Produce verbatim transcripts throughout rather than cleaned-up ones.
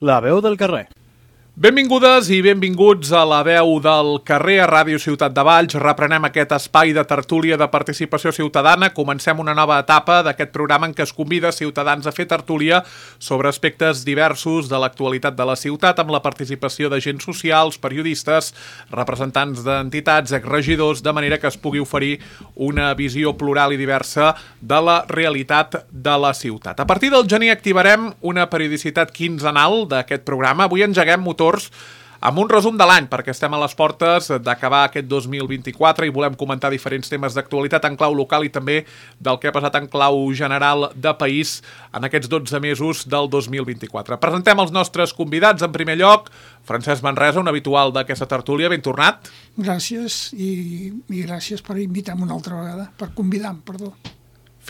La veu del carrer. Benvingudes i benvinguts a La veu del carrer a Ràdio Ciutat de Valls. Reprenem aquest espai de tertúlia de participació ciutadana. Comencem una nova etapa d'aquest programa en què es convida ciutadans a fer tertúlia sobre aspectes diversos de l'actualitat de la ciutat, amb la participació d'agents socials, periodistes, representants d'entitats, exregidors, de manera que es pugui oferir una visió plural i diversa de la realitat de la ciutat. A partir del gener activarem una periodicitat quinzenal d'aquest programa. Avui engeguem motor amb un resum de l'any, perquè estem a les portes d'acabar aquest dos mil vint-i-quatre i volem comentar diferents temes d'actualitat en clau local i també del que ha passat en clau general de país en aquests dotze mesos del dos mil vint-i-quatre. Presentem els nostres convidats. En primer lloc, Francesc Manresa, un habitual d'aquesta tertúlia. Ben tornat. Gràcies i, i gràcies per invitar-me una altra vegada, per convidar-me, perdó.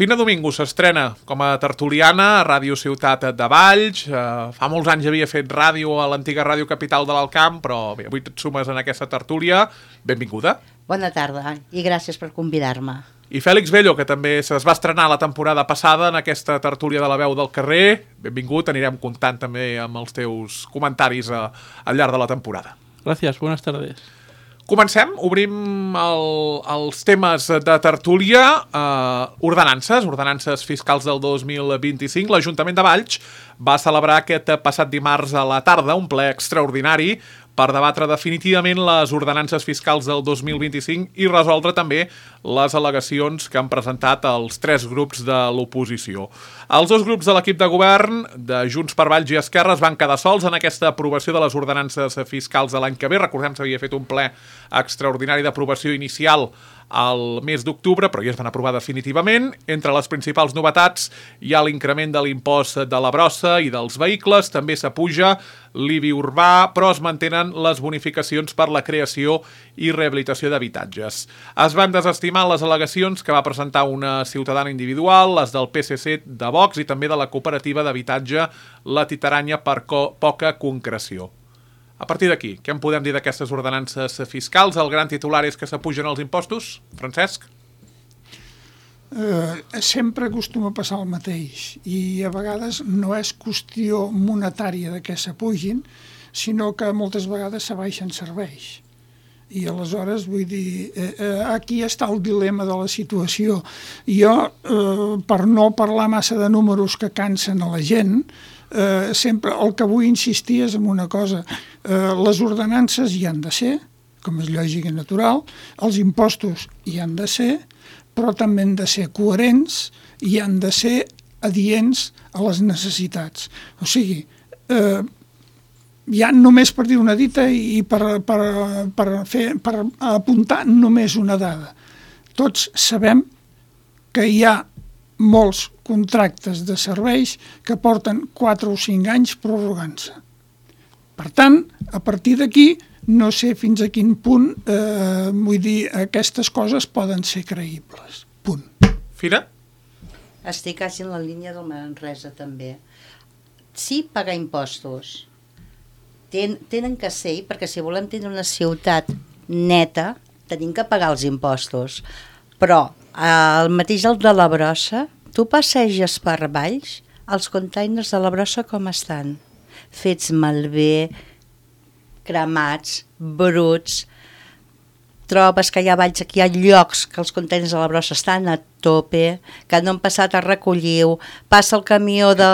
Fina Domingo s'estrena com a tertuliana a Ràdio Ciutat de Valls. Eh, fa molts anys havia fet ràdio a l'antiga Ràdio Capital de l'Alcamp, però bé, avui et sumes en aquesta tertúlia. Benvinguda. Bona tarda i gràcies per convidar-me. I Fèlix Bello, que també es va estrenar la temporada passada en aquesta tertúlia de La veu del carrer. Benvingut, anirem comptant també amb els teus comentaris a, al llarg de la temporada. Gràcies, buenas tardes. Comencem, obrim el, els temes de tertúlia, eh, ordenances, ordenances fiscals del dos mil vint-i-cinc. L'Ajuntament de Valls va celebrar aquest passat dimarts a la tarda un ple extraordinari per debatre definitivament les ordenances fiscals del dos mil vint-i-cinc i resoldre també les al·legacions que han presentat els tres grups de l'oposició. Els dos grups de l'equip de govern, de Junts per Valls i Esquerra, es van quedar sols en aquesta aprovació de les ordenances fiscals de l'any que ve. Recordem que s'havia fet un ple extraordinari d'aprovació inicial al mes d'octubre, però ja es van aprovar definitivament. Entre les principals novetats hi ha l'increment de l'impost de la brossa i dels vehicles, també s'apuja l'I B I urbà, però es mantenen les bonificacions per la creació i rehabilitació d'habitatges. Es van desestimar les al·legacions que va presentar una ciutadana individual, les del P S C, de Vox i també de la cooperativa d'habitatge La Titaranya per poca concreció. A partir d'aquí, què en podem dir d'aquestes ordenances fiscals? El gran titular és que s'apugen els impostos. Francesc? Eh, sempre acostuma a passar el mateix i a vegades no és qüestió monetària de què s'apugin, sinó que moltes vegades s'abaixen serveis. I aleshores, vull dir, eh, eh, aquí està el dilema de la situació. Jo, eh, per no parlar massa de números que cansen a la gent, eh, sempre el que vull insistir és en una cosa. Eh, les ordenances hi han de ser, com és lògic i natural, els impostos hi han de ser, però també han de ser coherents i han de ser adients a les necessitats. O sigui, eh, ja només per dir una dita i per, per, per, fer, per apuntar només una dada. Tots sabem que hi ha molts contractes de serveis que porten quatre o cinc anys prorrogant-se. Per tant, a partir d'aquí, no sé fins a quin punt, eh, vull dir, aquestes coses poden ser creïbles. Punt. Fina? Estic quasi en la línia del Manresa, també. Sí, pagar impostos. Ten, tenen que ser, perquè si volem tenir una ciutat neta, tenim que pagar els impostos. Però el mateix el de la brossa, tu passeges per Valls, els containers de la brossa com estan? Fets malbé, cremats, bruts. Trobes que hi ha valls, que hi ha llocs que els containers de la brossa estan a tope, que no han passat a recollir-ho, passa el camió de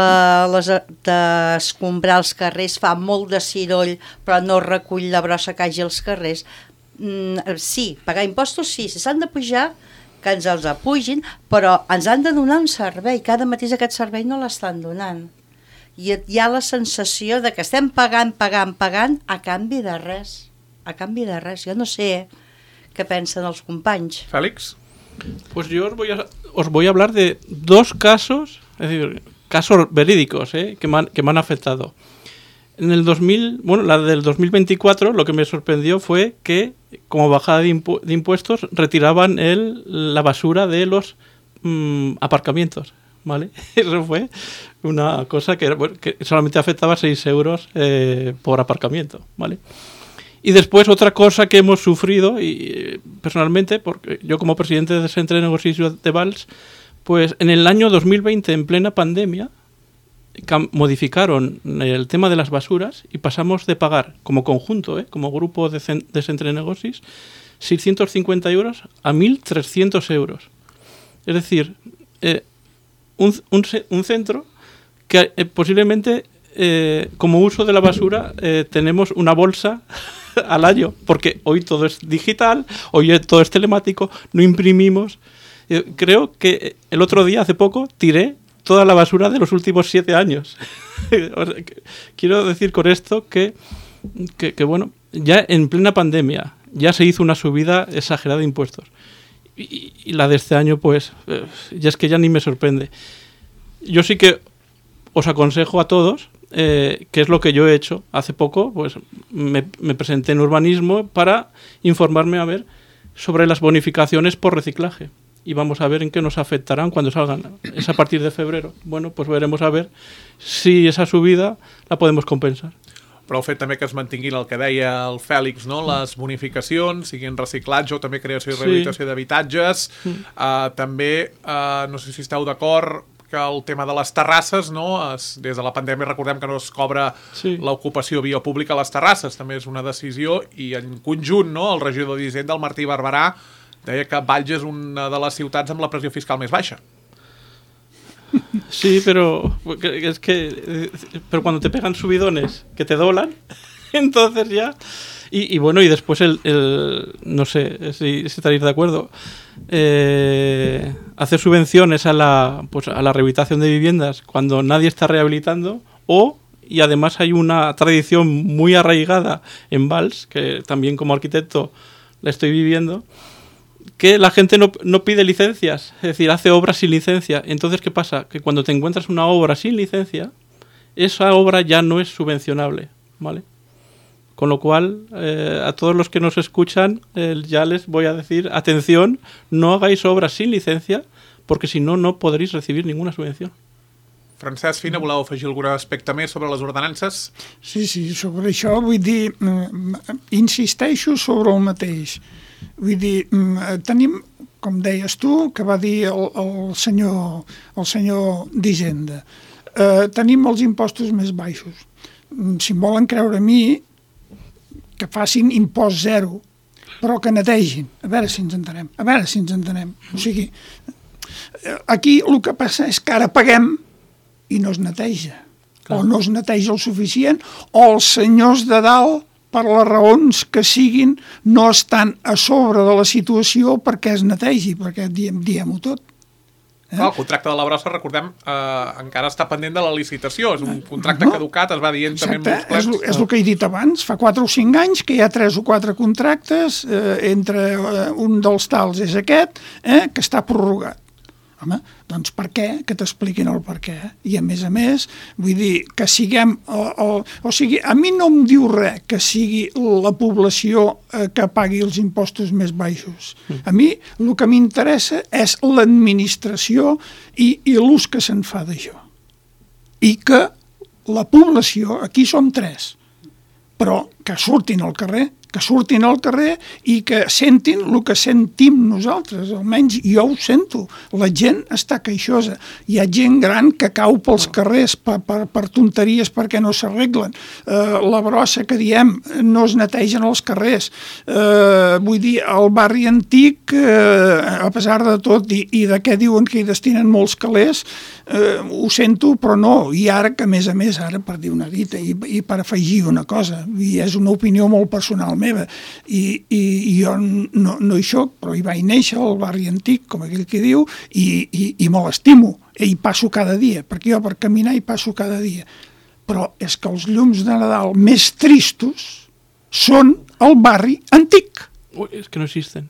les, d'escombrar els carrers, fa molt de ciroll, però no recull la brossa que hagi als carrers. Mm, sí, pagar impostos sí, si s'han de pujar, que ens els apugin, però ens han de donar un servei, cada mateix aquest servei no l'estan donant. I hi ha la sensació de que estem pagant, pagant, pagant a canvi de res, a canvi de res. Jo no sé què pensen els companys. Félix? Pues yo os voy a, os voy a hablar de dos casos, es decir, casos verídicos, ¿eh? que, me han, que me han afectado. En el dos mil, bueno, la del dos mil veinticuatro, lo que me sorprendió fue que, como bajada de, impu- de impuestos, retiraban el, la basura de los mmm, aparcamientos, ¿vale? Eso fue una cosa que, bueno, que solamente afectaba seis euros eh, por aparcamiento, ¿vale? Y después otra cosa que hemos sufrido, y personalmente, porque yo como presidente de Centre de Negocios de Valls, pues en el año dos mil veinte, en plena pandemia, modificaron el tema de las basuras y pasamos de pagar como conjunto, ¿eh? como grupo de, cen- de Centre Negocis, seiscientos cincuenta euros a mil trescientos euros. Es decir, eh, un, un, un centro que eh, posiblemente eh, como uso de la basura eh, tenemos una bolsa al año, porque hoy todo es digital, hoy todo es telemático, no imprimimos. Eh, creo que el otro día, hace poco, tiré toda la basura de los últimos siete años. Quiero decir con esto que, que, que, bueno, ya en plena pandemia ya se hizo una subida exagerada de impuestos. Y, y la de este año, pues, eh, ya es que ya ni me sorprende. Yo sí que os aconsejo a todos, eh, que es lo que yo he hecho hace poco, pues me, me presenté en urbanismo para informarme a ver sobre las bonificaciones por reciclaje. Y vamos a ver en qué nos afectarán cuando salgan. Es a partir de febrero. Bueno, pues veremos a ver si esa subida la podemos compensar. Però el fet també que es mantinguin el que deia el Fèlix, no? Les bonificacions, siguin reciclatge o també creació i rehabilitació sí. d'habitatges. Mm. Uh, també, uh, no sé si esteu d'acord, que el tema de les terrasses, no? Es, des de la pandèmia recordem que no es cobra sí. l'ocupació via pública a les terrasses. També és una decisió i en conjunt, no? El regidor d'Hisenda, el Martí Barberà, deia que Valls és una de les ciutats amb la pressió fiscal més baixa. Sí, pero es que pero cuando te pegan subidones que te doblan, entonces ya y, y bueno, y después el, el no sé si, si estaréis de acuerdo, eh, hacer subvenciones a la pues a la rehabilitación de viviendas cuando nadie está rehabilitando, o y además hay una tradición muy arraigada en Valls, que también como arquitecto la estoy viviendo, que la gente no, no pide licencias, es decir, hace obras sin licencia. Entonces, ¿qué pasa? Que cuando te encuentras una obra sin licencia, esa obra ya no es subvencionable, ¿vale? Con lo cual, eh, a todos los que nos escuchan, eh, ya les voy a decir, atención, no hagáis obras sin licencia, porque si no, no podréis recibir ninguna subvención. Francesc Fina, voleu afegir algun aspecte més sobre les ordenances? Sí, sí, sobre això vull dir, insisteixo sobre el mateix. Vull dir, tenim, com deies tu, que va dir el, el senyor, el senyor d'Hisenda, eh, tenim els impostos més baixos. Si em volen creure a mi, que facin impost zero, però que netegin. A veure si ens entenem. A veure si ens entenem. O sigui, aquí el que passa és que ara paguem i no es neteja. Clar. O no es neteja el suficient, o els senyors de dalt, per les raons que siguin, no estan a sobre de la situació perquè es netegi, perquè diem, diem-ho tot. Eh? El contracte de la brossa, recordem, eh, encara està pendent de la licitació. És un contracte no. caducat, es va dient Exacte. també en molts plens. És, és el que he dit abans, fa quatre o cinc anys que hi ha tres o quatre contractes, eh, entre eh, un dels tals és aquest, eh, que està prorrogat. Home, doncs per què? Que t'expliquin el per què. I a més a més, vull dir, que siguem... O, o, o sigui, a mi no em diu res que sigui la població eh, que pagui els impostos més baixos. A mi el que m'interessa és l'administració i, i l'ús que se'n fa d'això. I que la població, aquí som tres, però que surtin al carrer, que surtin al carrer i que sentin el que sentim nosaltres, almenys jo ho sento. La gent està queixosa. Hi ha gent gran que cau pels carrers per, per, per tonteries perquè no s'arreglen. Uh, la brossa que diem, no es netegen els carrers. Uh, vull dir, el barri antic, uh, a pesar de tot, i, i de què diuen que hi destinen molts calés, uh, ho sento, però no. I ara, que a més a més, ara per dir una dita i, i per afegir una cosa, i és una opinió molt personal meva, i, i, i jo no, no hi soc, però hi vaig néixer al barri antic, com aquell que diu, i, i, i me l'estimo, i hi passo cada dia, perquè jo per caminar hi passo cada dia. Però és que els llums de Nadal més tristos són al barri antic. Ui, és que no existen.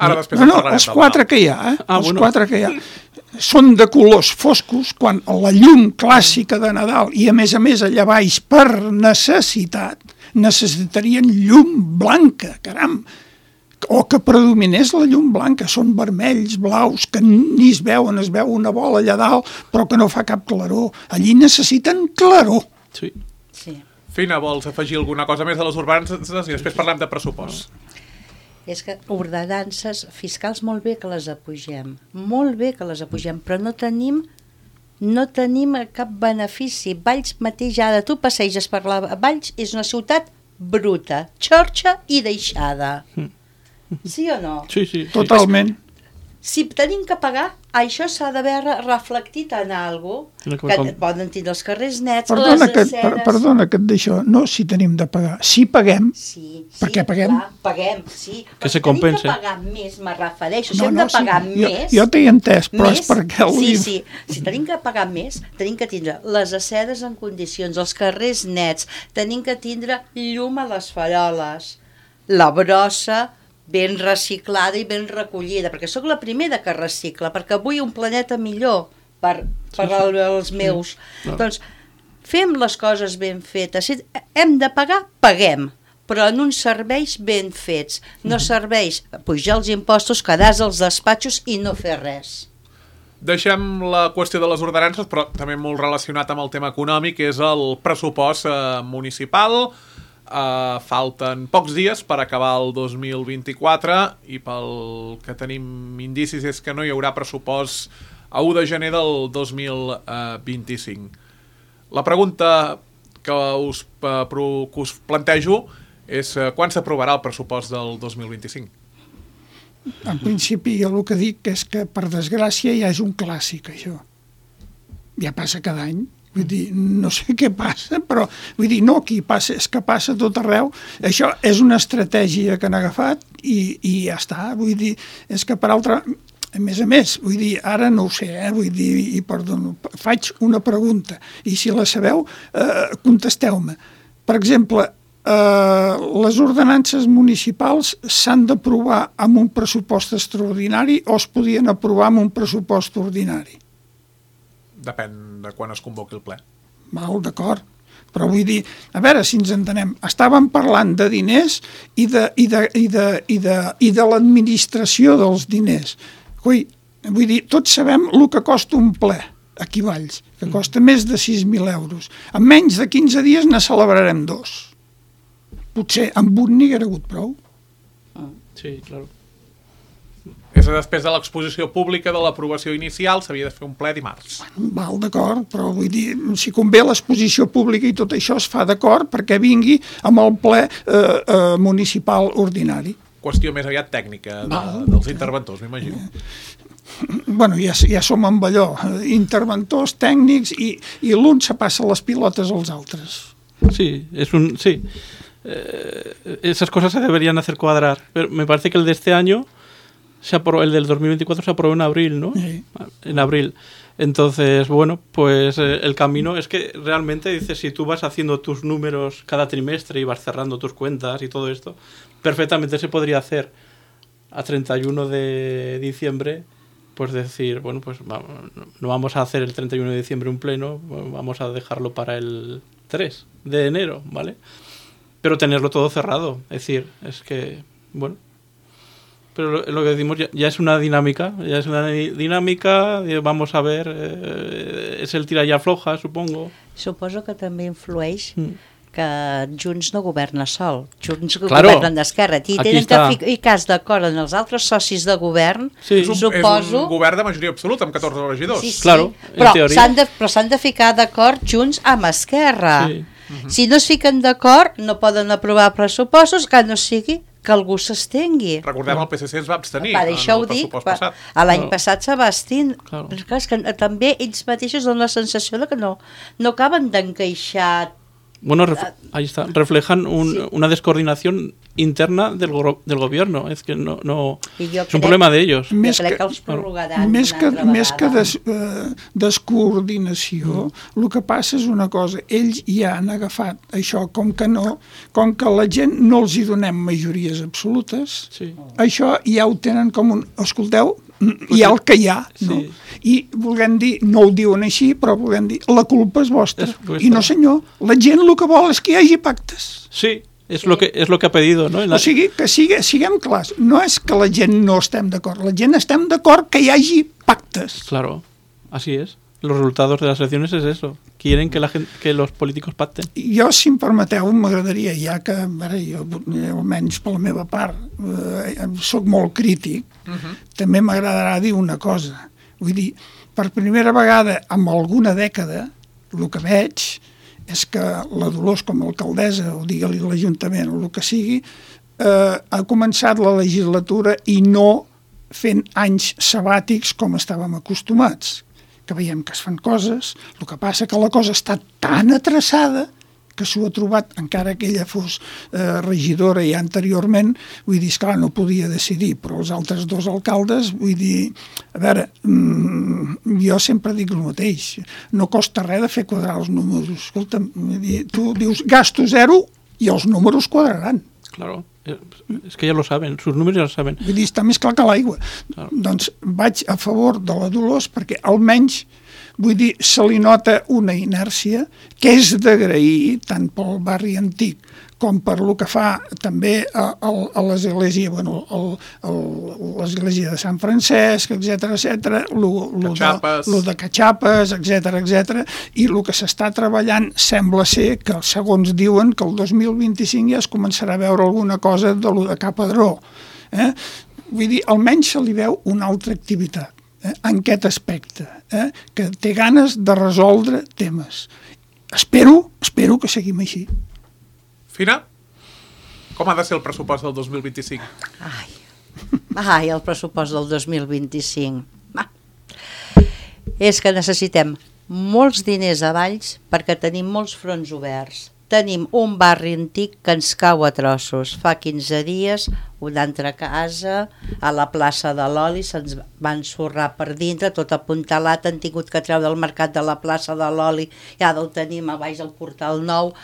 Ara després no, no, els quatre que hi ha, eh? Ah, els bueno. quatre que hi ha. Són de colors foscos, quan la llum clàssica de Nadal, i a més a més allà baix per necessitat, necessitarien llum blanca, caram, o que predominés la llum blanca. Són vermells, blaus, que ni es veuen, es veu una bola allà dalt, però que no fa cap claror. Allí necessiten claror. Sí. Sí. Fina, vols afegir alguna cosa més de les ordenances i després parlem de pressupost? És que ordenances fiscals molt bé que les apugem, molt bé que les apugem, però no tenim no tenim cap benefici. Valls mateix, ara tu passeges per la Valls, és una ciutat bruta, xorxa i deixada. Sí o no? Sí, sí. sí. Totalment. Si tenim que pagar, això s'ha d'haver reflectit en alguna cosa, que Com... poden tenir els carrers nets, Perdona les que, aceres... per, perdona que et deixo, no si tenim de pagar, si paguem, Sí, sí, Per què paguem? Clar, paguem, sí. Que Però se si tenim compense. que pagar més, me refereixo. Si no, hem no, de pagar sí, jo, més... jo t'he entès, però més, és perquè el sí, dic. sí. Si tenim que pagar més, tenim que tindre les aceres en condicions, els carrers nets, tenim que tindre llum a les faroles, la brossa ben reciclada i ben recollida, perquè sóc la primera que recicla, perquè vull un planeta millor per, per Sí, sí. als meus. Sí. No. Doncs fem les coses ben fetes. Si hem de pagar, paguem, però en uns serveis ben fets. No serveis pujar els impostos, quedar-se als despatxos i no fer res. Deixem la qüestió de les ordenances, però també molt relacionat amb el tema econòmic, és el pressupost eh, municipal. Uh, falten pocs dies per acabar el dos mil vint-i-quatre i pel que tenim indicis és que no hi haurà pressupost a u de gener del dos mil vint-i-cinc. La pregunta que us, uh, pro, que us plantejo és uh, quan s'aprovarà el pressupost del dos mil vint-i-cinc? En principi jo el que dic és que per desgràcia ja és un clàssic això. Ja passa cada any. Vull dir, no sé què passa, però vull dir, no aquí passa, és que passa tot arreu. Això és una estratègia que han agafat i, i ja està. Vull dir, és que per altra... A més a més, vull dir, ara no ho sé, eh? Vull dir, i perdó, faig una pregunta, i si la sabeu, eh, contesteu-me. Per exemple, eh, les ordenances municipals s'han d'aprovar amb un pressupost extraordinari o es podien aprovar amb un pressupost ordinari? Depèn de quan es convoqui el ple. Val, d'acord. Però vull dir, a veure si ens entenem, estàvem parlant de diners i de, i de, i de, i de, i de l'administració dels diners. Ui, vull dir, tots sabem el que costa un ple aquí a Valls, que costa més de sis mil euros. En menys de quinze dies ne celebrarem dos. Potser amb un n'hi haguera hagut prou. Sí, claro. És després de l'exposició pública de l'aprovació inicial, s'havia de fer un ple dimarts. Val, d'acord, però vull dir, si convé l'exposició pública i tot això es fa d'acord perquè vingui amb el ple eh, eh, municipal ordinari. Qüestió més aviat tècnica de, Val. dels interventors, m'imagino. Bueno, ja, ja som amb allò, interventors, tècnics, i, i l'un se passa les pilotes als altres. Sí, es un... Sí. Eh, esas cosas se deberían hacer cuadrar. Pero me parece que el de este año, se aprobó, el del dos mil veinticuatro se aprobó en abril, ¿no? Sí. En abril. Entonces, bueno, pues eh, el camino es que realmente, dices, si tú vas haciendo tus números cada trimestre y vas cerrando tus cuentas y todo esto, perfectamente se podría hacer a treinta y uno de diciembre, pues decir, bueno, pues vamos, no vamos a hacer el treinta y uno de diciembre un pleno, vamos a dejarlo para el tres de enero, ¿vale? Pero tenerlo todo cerrado, es decir, es que, bueno... Pero lo, lo que decimos ya, ya es una dinámica, ya es una dinámica, vamos a ver, eh, és el tira i afloja, supongo. Suposo que també influeix Mm. que Junts no governa sol, Junts Claro. governen d'esquerra, i Aquí tenen està. que ficar d'acord en els altres socis de govern, Sí. És un, suposo... és un govern de majoria absoluta, amb catorze regidors. Sí, sí, Claro, en però teoria. s'han de, però s'han de ficar d'acord Junts amb Esquerra. Sí. Si no es fiquen d'acord, no poden aprovar pressupostos, que no sigui que algú s'estengui. Recordem, el P S C es va abstenir Per en això ho el dic, pressupost per, passat. a l'any Claro. passat se va abstenir. Claro. Però clar, és que també ells mateixos donen la sensació de que no, no acaben d'encaixar. Bueno, ref- ahí está. Reflejan un- Sí. una descoordinación interna del, go- del gobierno. Es que no, no I jo es un crec- problema de ellos. Jo Més crec que- que els prorrogaran Més una que, altra més que vegada. des, eh, descoordinació, mm. el que passa és una cosa, ells ja han agafat això, com que no, com que la gent no els hi donem majories absolutes, Sí. això ja ho tenen com un... Escolteu, hi ha el que hi ha, no? Sí. I volem dir, no ho diuen així, però volem dir, la culpa és vostra. És vostra. I no senyor, la gent el que vol és que hi hagi pactes. Sí, es lo que es lo que ha pedido, ¿no? En la- O sigui, que sigue, siguem clars, no és que la gent no estem d'acord, la gent estem d'acord que hi hagi pactes. Claro, así es. Los resultados de las elecciones es eso. Quieren que la gente, que los políticos pacten. Jo, si em permeteu, m'agradaria, ja que ara, jo, almenys per la meva part, eh, soc molt crític, uh -huh. també m'agradarà dir una cosa. Vull dir, per primera vegada en alguna dècada, el que veig és que la Dolors com a alcaldessa, o digue-li l'Ajuntament o el que sigui, eh, ha començat la legislatura i no fent anys sabàtics com estàvem acostumats, que veiem que es fan coses, el que passa que la cosa està tan atreçada que s'ho ha trobat, encara que ella fos eh, regidora ja anteriorment, vull dir, esclar, no podia decidir, però els altres dos alcaldes, vull dir, a veure, mmm, jo sempre dic el mateix, no costa res de fer quadrar els números, escolta, vull dir, tu dius gasto zero i els números quadraran. Claro, es que ya lo saben, sus números ya lo saben. Vull dir, està més clar que l'aigua. Claro. Doncs vaig a favor de la Dolors perquè almenys, vull dir, se li nota una inèrcia que és d'agrair tant pel barri antic com per lo que fa també a, a, a l'església, bueno, el, el, l'església de Sant Francesc, etcètera, etcètera, lo, lo, de, lo de Catxapes, etcètera, etcètera, i el que s'està treballant sembla ser que, segons diuen, que el dos mil vint-i-cinc ja es començarà a veure alguna cosa de lo de Capadró. Eh? Vull dir, almenys se li veu una altra activitat. Eh, en aquest aspecte, eh, que té ganes de resoldre temes. Espero, espero que seguim així. Fina, com ha de ser el pressupost del dos mil vint-i-cinc? Ai, ai, el pressupost del dos mil vint-i-cinc. Ah. És que necessitem molts diners a Valls perquè tenim molts fronts oberts. Tenim un barri antic que ens cau a trossos. Fa quinze dies, una altra casa, a la plaça de l'Oli, se'ns va ensorrar per dintre, tot apuntalat, han tingut que treure del mercat de la plaça de l'Oli, ja el tenim a baix del portal nou.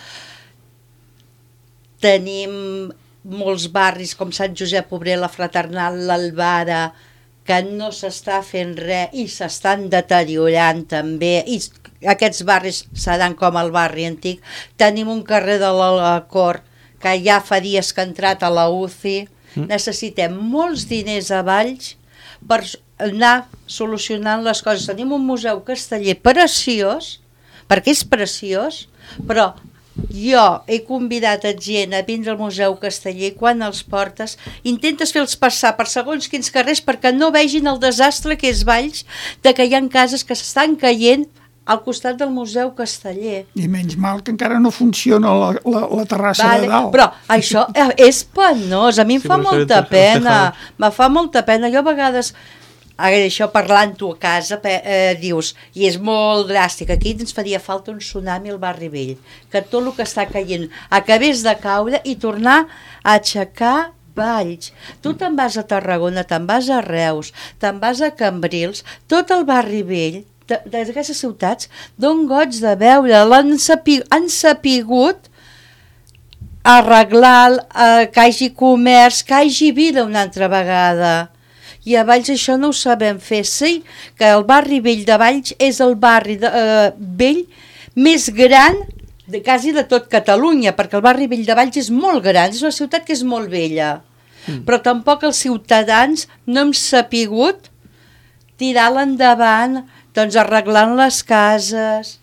Tenim molts barris com Sant Josep Obrer, la Fraternal, l'Albara, que no s'està fent res i s'estan deteriorant també, i aquests barris seran com el barri antic. Tenim un carrer de la Cort que ja fa dies que ha entrat a la U C I. Mm. Necessitem molts diners a Valls per anar solucionant les coses. Tenim un museu casteller preciós, perquè és preciós, però jo he convidat a gent a vindre al Museu Casteller i quan els portes intentes fer-los passar per segons quins carrers perquè no vegin el desastre que és Valls, de que hi ha cases que s'estan caient al costat del Museu Casteller. I menys mal que encara no funciona la, la, la terrassa vale, de dalt. Però això és penós, a mi em sí, fa molta pena, me fa molta pena. Jo a vegades, això parlant-ho a casa, eh, dius, i és molt dràstic, aquí ens faria falta un tsunami al barri vell, que tot el que està caient acabés de caure i tornar a aixecar Valls. Tu te'n vas a Tarragona, te'n vas a Reus, te'n vas a Cambrils, tot el barri vell, d'aquestes ciutats, d'on goig de veure, l'han sapigut, han sapigut arreglar, eh, que hi hagi comerç, que hi hagi vida una altra vegada. I a Valls això no ho sabem fer. Sí que el barri vell de Valls és el barri de, eh, vell més gran de, quasi de tot Catalunya, perquè el barri vell de Valls és molt gran, és una ciutat que és molt vella, mm. però tampoc els ciutadans no hem sapigut tirar-la endavant, doncs arreglant les cases,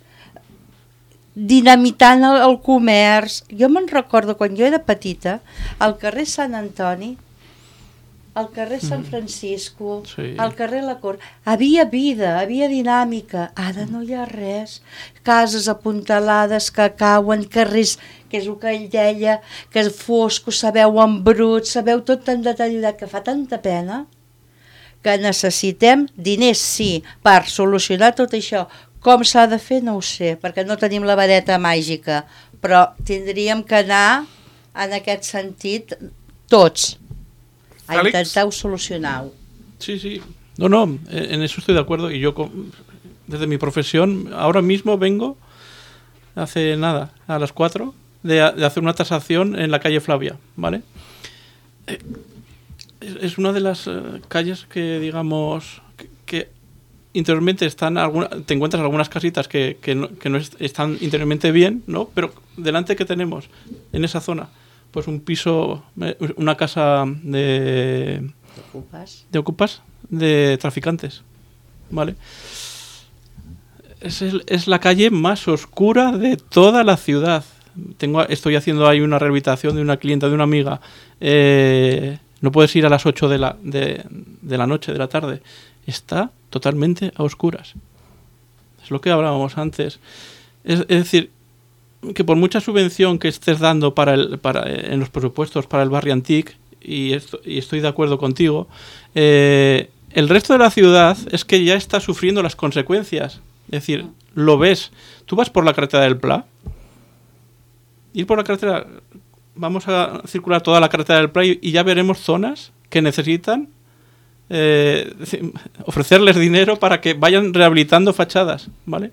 dinamitant el, el comerç. Jo me'n recordo quan jo era petita, al carrer Sant Antoni, al carrer Sant Francisco, sí. al carrer La Cort, havia vida, havia dinàmica. Ara no hi ha res. Cases apuntalades que cauen, carrers, que és el que ell deia, que és fosco, sabeu en brut, sabeu tot tan deteriorat, que fa tanta pena, que necessitem diners, sí, per solucionar tot això. Com s'ha de fer no ho sé, perquè no tenim la vareta màgica, però tindríem que anar en aquest sentit tots, a Félix? intentar solucionar-ho. Sí, sí, no, no, en eso estoy de acuerdo y yo desde mi profesión ahora mismo vengo, hace nada, a las cuatro, de, de hacer una tasación en la calle Flavia, ¿vale? Eh, es una de las uh, calles que, digamos, que, que interiormente están, alguna, te encuentras algunas casitas que, que no, que no est- están interiormente bien, ¿no? Pero delante que tenemos, en esa zona, pues un piso, una casa de... ¿De ocupas? De ocupas, de traficantes, ¿vale? Es, el, es la calle más oscura de toda la ciudad. Tengo, estoy haciendo ahí una rehabilitación de una clienta, de una amiga. Eh... No puedes ir a las ocho de la, de, de la noche, de la tarde. Está totalmente a oscuras. Es lo que hablábamos antes. Es, es decir, que por mucha subvención que estés dando para el, para, en los presupuestos para el barrio Antic, y, esto, y estoy de acuerdo contigo, eh, el resto de la ciudad es que ya está sufriendo las consecuencias. Es decir, lo ves. Tú vas por la carretera del Pla, ir por la carretera, vamos a circular toda la carretera del Pla y, y ya veremos zonas que necesitan eh, ofrecerles dinero para que vayan rehabilitando fachadas, ¿vale?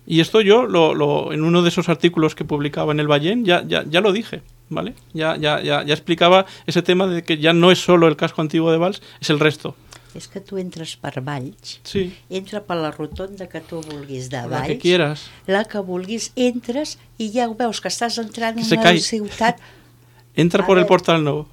Y esto yo, lo, lo, en uno de esos artículos que publicaba en el Ballén, ya, ya, ya lo dije, ¿vale? Ya, ya, ya, ya explicaba ese tema de que ya no es solo el casco antiguo de Valls, es el resto. És que tu entres per Valls, sí. entra per la rotonda que tu vulguis de Valls, la que quieras, la que vulguis, entres i ja ho veus que estàs entrant en Se una cae. ciutat... Entra A por el ver. portal nou.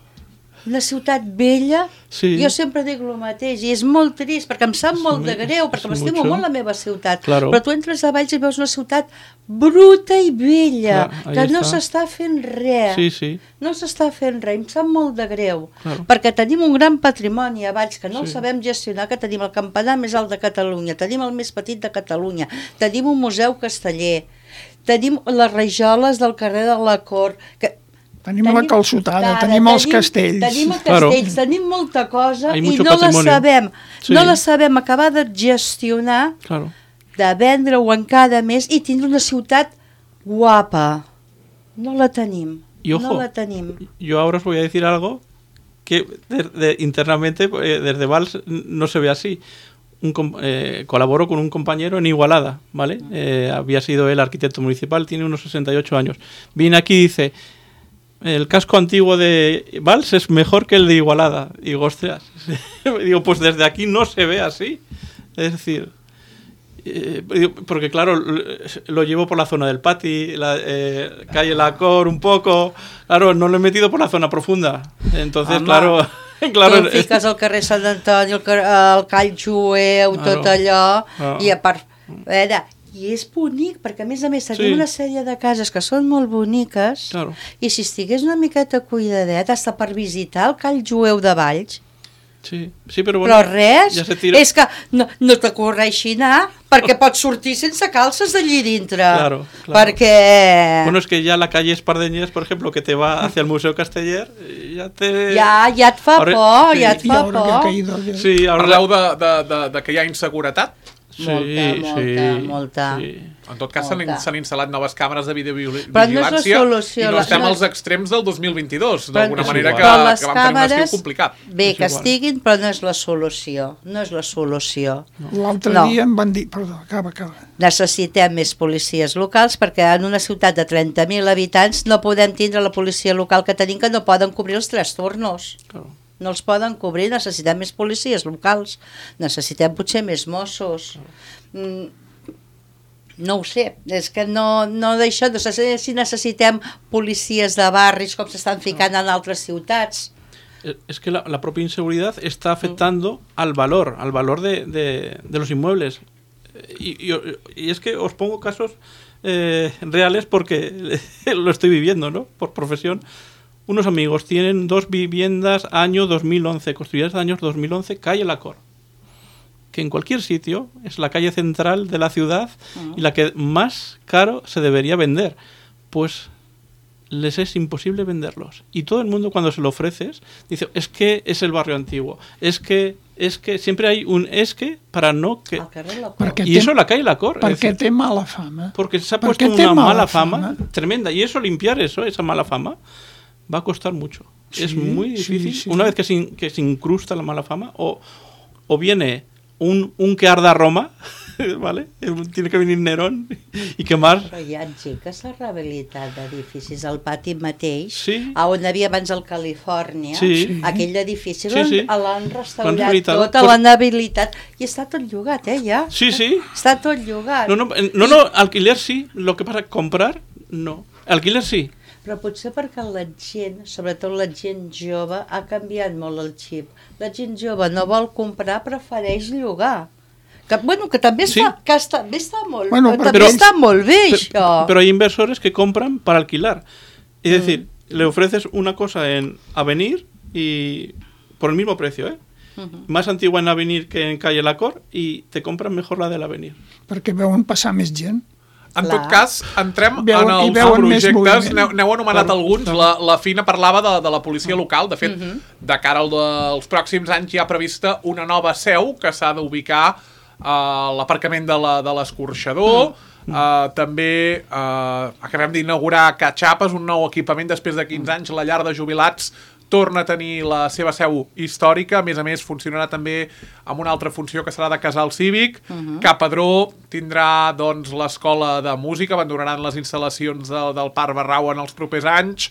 Una ciutat vella, Sí. jo sempre dic el mateix, i és molt trist, perquè em sap És molt de muy- greu, és perquè m'estimo mucho. molt la meva ciutat, Claro. però tu entres a Valls i veus una ciutat bruta i vella, Clar, ahí que no està. s'està fent res, Sí, sí. no s'està fent res, em sap molt de greu, Claro. perquè tenim un gran patrimoni a Valls, que no el Sí. sabem gestionar, que tenim el campanar més alt de Catalunya, tenim el més petit de Catalunya, tenim un museu casteller, tenim les rajoles del carrer de la Cort, que Tenim la calçotada, tenim els castells. Tenim els Claro. castells, tenim molta cosa Hay i mucho no la patrimonio. sabem, Sí. no la sabem acabar de gestionar, Claro. de vendre-ho en cada mes i tindre una ciutat guapa. No la tenim, Y ojo, no la tenim. yo ahora os voy a decir algo que de- de- internamente eh, desde Valls no se ve así. Un com- eh, colaboro con un compañero en Igualada, ¿vale? Eh, había sido él arquitecto municipal, tiene unos sesenta y ocho años. Viene aquí y dice, el casco antiguo de Valls es mejor que el de Igualada. Y digo, ostras, digo, pues desde aquí no se ve así. Es decir, eh, digo, porque claro, lo- lo llevo por la zona del Pati, la eh, calle La Cor un poco, claro, no lo he metido por la zona profunda. Entonces, Home, claro, claro, tu fiques al carrer Sant Antoni, el, car el Call Jueu, Claro. tot allò, Ah. i a part... A veure, i és bonic, perquè a més a més tenim Sí. una sèrie de cases que són molt boniques, Claro. i si estigués una miqueta cuidadet, hasta per visitar el Call Jueu de Valls, sí, sí, però bueno, però res, ja se tira. és que no, no t'ocorreixi anar, perquè pots sortir sense calces d'allí dintre, Claro, claro. perquè Bueno, es que ya la calle Espardeñés, por ejemplo, que te va hacia el Museo Casteller, ya te... ja, ja et fa Ahora- por, sí. ja et I fa ara que ha por. caído el- Sí, ahora... Parleu de, de, de, de que hi ha inseguretat? Sí, Molta, molta, sí, molta. sí. En tot cas, s'han Molta. s'han instal·lat noves càmeres de videovigilància Però no és la solució, i no la- estem no- als extrems del dos mil vint-i-dos, Però- d'alguna és manera igual. que, Però les que vam tenir un estiu càmeres- complicat. Bé, És que igual. estiguin, però no és la solució. No és la solució. L'altre No. dia em van dir... Perdó, acaba, acaba. Necessitem més policies locals perquè en una ciutat de trenta mil habitants no podem tindre la policia local que tenim, que no poden cobrir els tres turnos. Claro. No els poden cobrir, necessitem més policies locals, necessitem potser més Mossos. Mm, no ho sé, és que no, no d'això, no sé si necessitem policies de barris com s'estan ficant en altres ciutats. Eh, Es que la, la propia inseguridad está afectando al valor, al valor de, de, de los inmuebles. Eh, Y, y, y es que os pongo casos eh, reales porque lo estoy viviendo, ¿no? Por profesión. Unos amigos tienen dos viviendas año dos mil once, construidas año dos mil once, calle La Cor, que en cualquier sitio es la calle central de la ciudad y la que más caro se debería vender. Pues les es imposible venderlos. Y todo el mundo cuando se lo ofreces dice, es que es el barrio antiguo, es que, es que, siempre hay un es que para no que... Al carrer La Cor. Perquè Y té, eso la calle La Cor. es perquè decir, té mala fama. porque se ha ¿Por puesto qué te una mala mala fama, fama? tremenda. Y eso, limpiar eso, esa mala fama, va a costar mucho. Sí, es muy sí, difícil. sí. Una vez que se, in- que se incrusta la mala fama, o, o viene un, un que arda Roma, ¿vale? Tiene que venir Nerón y quemar. Però hi ha gent que s'ha rehabilitat d'edificis al pati mateix, Sí. a on havia abans el Califòrnia, Sí. aquell edifici Sí, l'han sí. l'han L'han restaurat rehabilitat. tot, Pues- l'han habilitat, i està tot llogat, eh, ja. Sí, sí. Està tot llogat. No, no, eh, no, no, alquiler sí. Lo que pasa, comprar, no. Alquiler sí. Però potser perquè la gent, sobretot la gent jove, ha canviat molt el xip. La gent jove no vol comprar, prefereix llogar. Que, bueno, que també Sí. està, que està, bé està molt, Bueno, bueno, però- també però- està molt bé, Pe- això. Pero hay inversores que compran para alquilar. Es decir, le ofreces una cosa en Avenir y por el mismo precio, ¿eh? uh-huh. más antigua en Avenir que en Calle La Cor y te compran mejor la del Avenir. Perquè veuen passar més gent. En Clar. tot cas, entrem Veuen- en i els veuen més projectes, moviment. n'heu n'heu anomenat alguns, la, la Fina parlava de, de la policia local, de fet, de cara al de, als pròxims anys hi ha prevista una nova seu que s'ha d'ubicar a l'aparcament de la- de l'escorxador, Uh, també uh, acabem d'inaugurar Catxapes, un nou equipament després de quinze anys, la llar de jubilats torna a tenir la seva seu històrica, a més a més funcionarà també amb una altra funció que serà de casal cívic. Uh-huh. Capadró tindrà doncs l'escola de música, abandonaran les instal·lacions del, del Parc Barrau en els propers anys.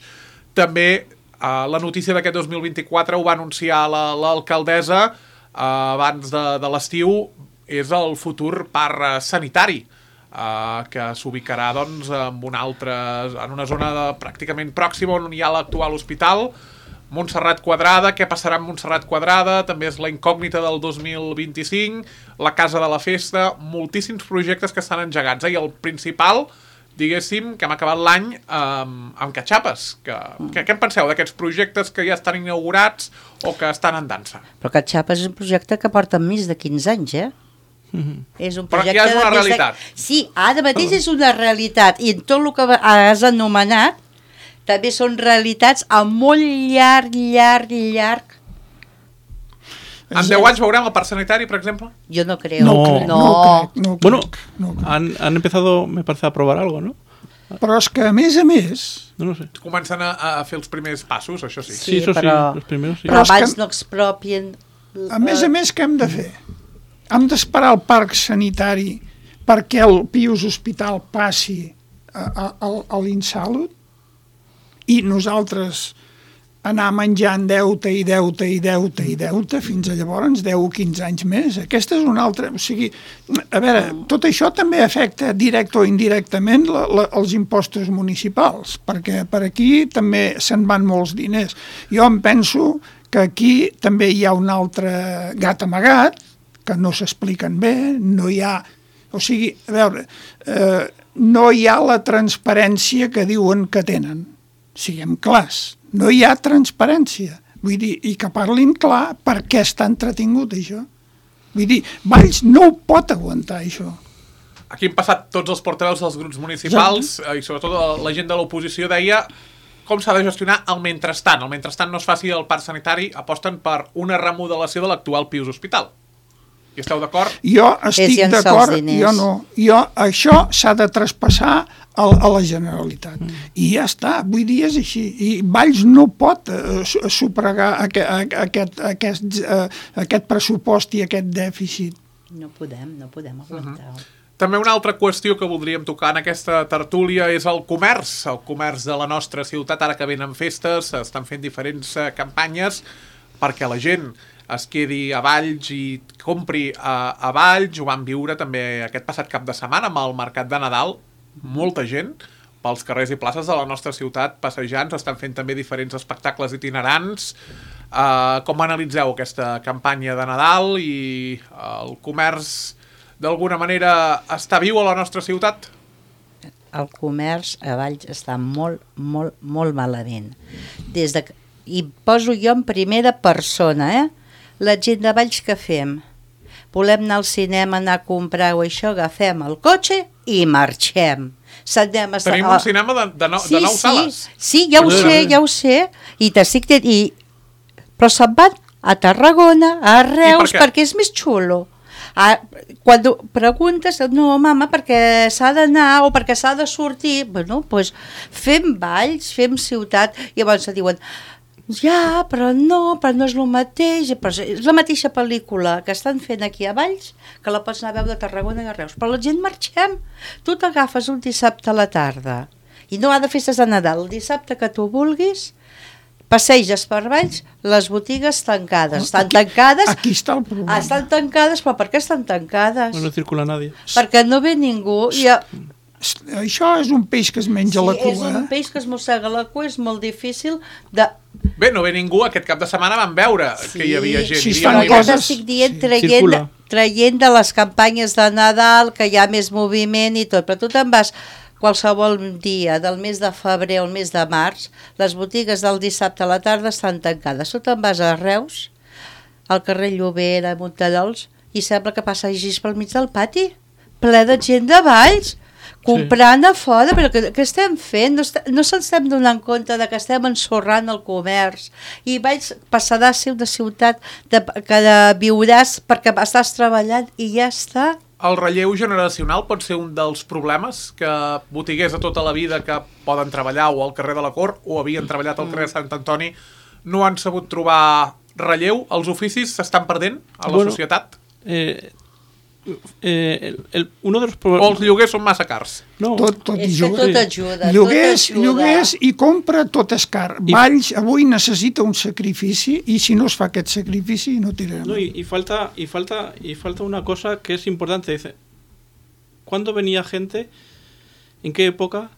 També uh, la notícia d'aquest dos mil vint-i-quatre ho va anunciar la, l'alcaldessa uh, abans de, de l'estiu, és el futur parc uh, sanitari. Uh, que s'ubicarà doncs, en, una altra, en una zona de, pràcticament pròxima on hi ha l'actual hospital. Montserrat Quadrada, què passarà amb Montserrat Quadrada? També és la incògnita del dos mil vint-i-cinc, la Casa de la Festa, moltíssims projectes que estan engegats. Eh? I el principal, diguéssim, que hem acabat l'any amb, amb Catxapes. Que, que, què en penseu d'aquests projectes que ja estan inaugurats o que estan en dansa? Però Catxapes és un projecte que porta més de quinze anys, eh? Uh-huh. És un Però projecte ja és una de més realitat. De... Sí, ara mateix és una realitat i en tot el que has anomenat també són realitats a molt llarg, llarg, llarg. En deu anys veurem el parc sanitari, per exemple? Jo no creo. No. crec, no. no crec, no crec, Bueno, no crec. han, han empezado, me parece, a probar algo, ¿no? Però és que, a més a més, No lo sé. Comencen a, a fer els primers passos, això sí. Sí, Sí, eso però- sí, los primeros sí. Però Però és abans que- no expropien... a més a més, què hem de fer? Hem d'esperar el parc sanitari perquè el Pius Hospital passi a, a, a, a l'Insalut i nosaltres anar menjant deute i deute i deute i deute fins a llavors deu o quinze anys més. Aquesta és una altra... O sigui, a veure, tot això també afecta directe o indirectament la, la, els impostos municipals, perquè per aquí també se'n van molts diners. Jo em penso que aquí també hi ha un altre gat amagat, que no s'expliquen bé, no hi ha... O sigui, a veure, eh, no hi ha la transparència que diuen que tenen. Siguem clars, no hi ha transparència. Vull dir, i que parlin clar per què està entretingut això. Vull dir, Valls no ho pot aguantar, això. Aquí hem passat tots els portaveus dels grups municipals eh, i sobretot la gent de l'oposició deia com s'ha de gestionar el mentrestant. El mentrestant no es faci el parc sanitari, aposten per una remodelació de l'actual Pius Hospital. I esteu d'acord? Jo estic llençar els d'acord, diners. jo no. Jo, això s'ha de traspassar a, a la Generalitat. Mm. I ja està, vull dir, és així. I Valls no pot uh, sufragar aquest, aquest, aquest, uh, aquest pressupost i aquest dèficit. No podem, no podem aguantar. Uh-huh. També una altra qüestió que voldríem tocar en aquesta tertúlia és el comerç, el comerç de la nostra ciutat, ara que venen festes, estan fent diferents uh, campanyes perquè la gent es quedi a Valls i compri a, a Valls. Ho vam viure també aquest passat cap de setmana amb el mercat de Nadal. Molta gent pels carrers i places de la nostra ciutat passejant, estan fent també diferents espectacles itinerants. Uh, com analitzeu aquesta campanya de Nadal i uh, el comerç d'alguna manera està viu a la nostra ciutat? El comerç a Valls està molt, molt, molt malament. Des de... I poso jo en primera persona, eh? La gent de Valls que fem? Volem anar al cinema, anar a comprar o això, agafem el cotxe i marxem. S'anem a... Tenim un cinema de, de, no, sí, de nou sí, sales. Sí, ja ho sé, ja ho sé. I t'estic... I... Però se'n van a Tarragona, a Reus, per què? perquè és més xulo. Ah, quan preguntes, no, mama, perquè s'ha d'anar o perquè s'ha de sortir, bueno, doncs fem Valls, fem ciutat, i llavors se diuen, ja, però no, però no és el mateix, però és la mateixa pel·lícula que estan fent aquí a Valls, que la pots anar a veure a Tarragona i a Reus, però la gent marxem. Tu t'agafes un dissabte a la tarda, i no ha de festes de Nadal, el dissabte que tu vulguis, passeges per Valls, les botigues tancades. Estan Aquí- tancades... aquí està el problema. Ah, estan tancades, però per què estan tancades? No circula nadie. Perquè no ve ningú. I, Això és un peix que es menja sí, la cua. és un eh? peix que es mossega la cua, és molt difícil de... Bé, no ve ningú, aquest cap de setmana vam veure sí. que hi havia gent. Sí, es hi fan havia Però coses- t'estic dient, sí, traient, circula. traient de les campanyes de Nadal, que hi ha més moviment i tot, però tu te'n vas qualsevol dia del mes de febrer o el mes de març, les botigues del dissabte a la tarda estan tancades. Tu te'n vas a Reus, al carrer Llobera, Montallols, i sembla que passa així pel mig del pati, ple de gent de Valls, comprant a fora, però què, què estem fent? No, est no se'ns estem donant compte de que estem ensorrant el comerç i Valls passarà a ser una ciutat de, que de viuràs perquè estàs treballant i ja està. El relleu generacional pot ser un dels problemes que botiguers de tota la vida que poden treballar o al carrer de la Cort o havien treballat al carrer de Sant Antoni no han sabut trobar relleu. Els oficis s'estan perdent a la bueno, societat? Eh... Eh, el, el, uno de los o els lloguers són massa cars? No. Tot, tot, és que tot ajuda. Lloguers, tot ajuda. lloguers i compra tot és car. I... Valls avui necessita un sacrifici i si no es fa aquest sacrifici no tirarem. No, y, y, falta, y, falta, y falta una cosa que es importante. Dice, ¿cuándo venía gente? ¿En qué época?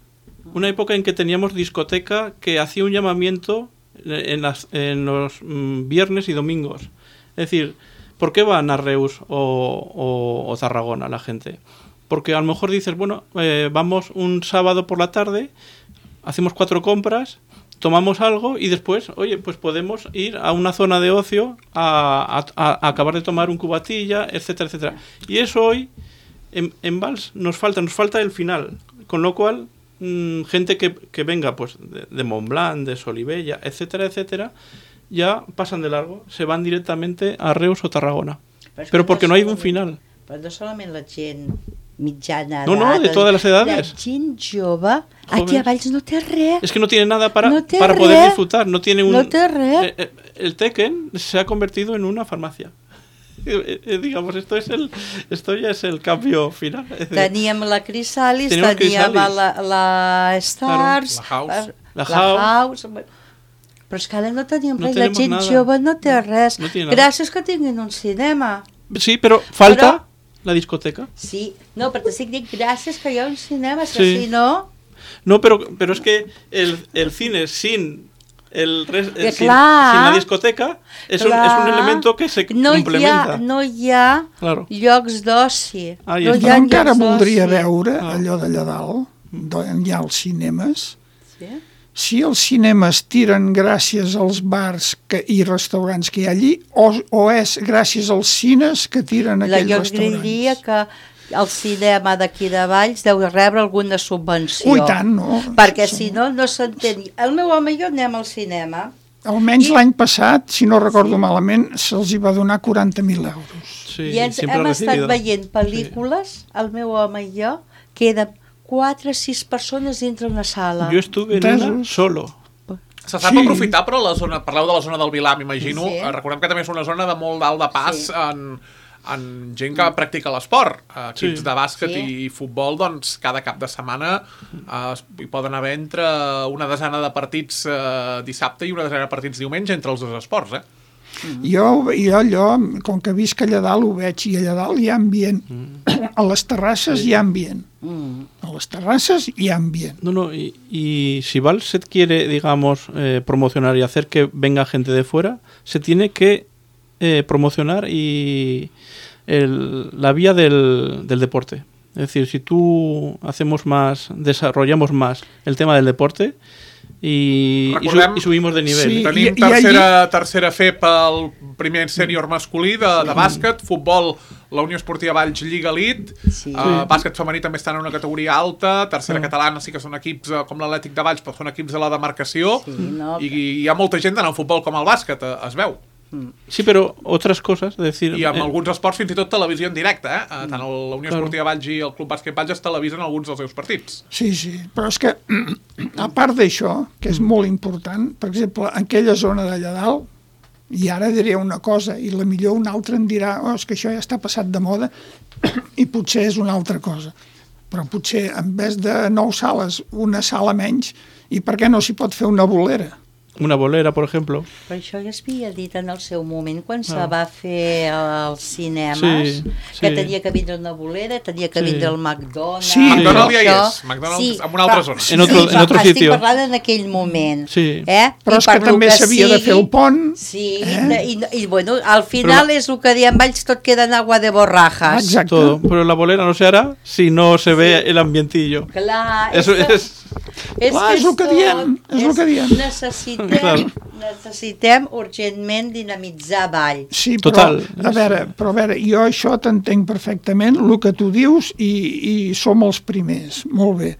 Una época en que teníamos discoteca que hacía un llamamiento en, las, en los mm, viernes y domingos. Es decir, ¿por qué van a Reus o, o, o Tarragona la gente? Porque a lo mejor dices, bueno, eh, vamos un sábado por la tarde, hacemos cuatro compras, tomamos algo y después, oye, pues podemos ir a una zona de ocio a, a, a acabar de tomar un cubatilla, etcétera, etcétera. Y eso hoy en, en Valls nos falta, nos falta el final. Con lo cual, mmm, gente que, que venga pues de, de Montblanc, de Solivella, etcétera, etcétera, ya pasan de largo, se van directamente a Reus o Tarragona. Pero, Pero porque no, no hay un final. Pero no solamente la gent mitjana no, no, de todas las edades. La gent jove, aquí a Valls no té res. Es que no tiene nada para, no para poder disfrutar. No tiene un. No té res. Eh, el Tekken se ha convertido en una farmacia. Eh, eh, digamos, esto es el, esto ya es el cambio final. Teníem la Crisalis, teníem, teníem la, la Stars, claro. la House, la, la House. Però és que ara no tenim no res, la gent nada. jove no té res. No Gràcies que tinguin un cinema. Sí, però falta però, la discoteca. Sí, no, però t'estic dient gràcies que hi ha un cinema, sí. que si no... No, pero, pero es que el, el cine sin... El res, el, sin, sin clar, la discoteca es un, es un elemento que se no complementa. Hi ha, no hi ha claro. llocs d'oci. Ah, no hi ha encara voldria veure ah. allò d'allà dalt, on hi ha els cinemes. Sí? Si els cinemes tiren gràcies als bars que, i restaurants que hi ha allí, o, o és gràcies als cines que tiren aquells jo restaurants. Jo diria que el cinema d'aquí de Valls deu rebre alguna subvenció. Ui, tant, no? Perquè si no, no s'entén. El meu home i jo anem al cinema. Almenys I... l'any passat, si no recordo sí. malament, se'ls hi va donar quaranta mil euros. Sí, I ens hem estat veient pel·lícules, sí. el meu home i jo, que eren quatre o sis persones dintre una sala. Jo estuve en una solo. Se sap sí. aprofitar, però la zona, parleu de la zona del Vilar, m'imagino. Sí. Recordem que també és una zona de molt dalt de pas sí. en, en gent que practica l'esport. Equips sí. de bàsquet sí. i futbol, doncs cada cap de setmana eh, hi poden haver entre una desena de partits eh, dissabte i una desena de partits diumenge entre els dos esports, eh? Mm. Jo, jo allò, com que visc allà dalt ho veig, i allà dalt hi ha ambient. Mm. A les terrasses sí. hi ha ambient. Mm. A les terrasses hi ha ambient. No, no, y, y si Valls se quiere, digamos, eh, promocionar y hacer que venga gente de fuera, se tiene que eh, promocionar y el, la vía del, del deporte. Es decir, si tú hacemos más, desarrollamos más el tema del deporte, i, i, su, i subimos de nivell. Sí, Tenim i, tercera, i allí... tercera F pel primer sènior masculí de, de bàsquet, futbol, la Unió Esportiva Valls Lliga Elite, sí. uh, bàsquet femení també està en una categoria alta, tercera sí. catalana sí que són equips uh, com l'Atlètic de Valls, però són equips de la demarcació, sí, no, i, i hi ha molta gent en el futbol com el bàsquet, uh, es veu. Sí, pero otras cosas, es decir... I amb eh... alguns esports fins i tot televisió en directe, eh? Tant la Unió claro. Esportiva Valls i el Club Bàsquet Valls es televisen alguns dels seus partits. Sí, sí, però és que, a part d'això, que és molt important, per exemple, en aquella zona d'allà dalt, i ara diré una cosa, i la millor un altre em dirà, oh, és que això ja està passat de moda, i potser és una altra cosa. Però potser, en vez de nou sales, una sala menys, i per què no s'hi pot fer una bolera? Una bolera, por ejemplo. Però això ja es havia dit en el seu moment, quan ah. se va fer els cinemes, sí, que sí. tenia que vindre una bolera, tenia que sí. vindre el McDonald's... Sí, McDonald's ja hi és, McDonald's sí, en una altra zona. En otro, sí, en otro estic sitio. parlant en aquell moment. Sí. Eh? Però és que també s'havia de fer el pont. Sí, eh? i, i, i bueno, al final però... és el que diem Valls, tot queda en agua de borrajas. Exacte. Todo. Pero la bolera no se hará si no se ve sí. el ambientillo. Clar, Eso és... es... És, Clar, és el que diem, és el que diem. Necessitem necessitem, Claro. necessitem urgentment dinamitzar Valls. Sí, però, Total. a veure, però a veure, jo això t'entenc perfectament, el que tu dius, i, i som els primers, molt bé.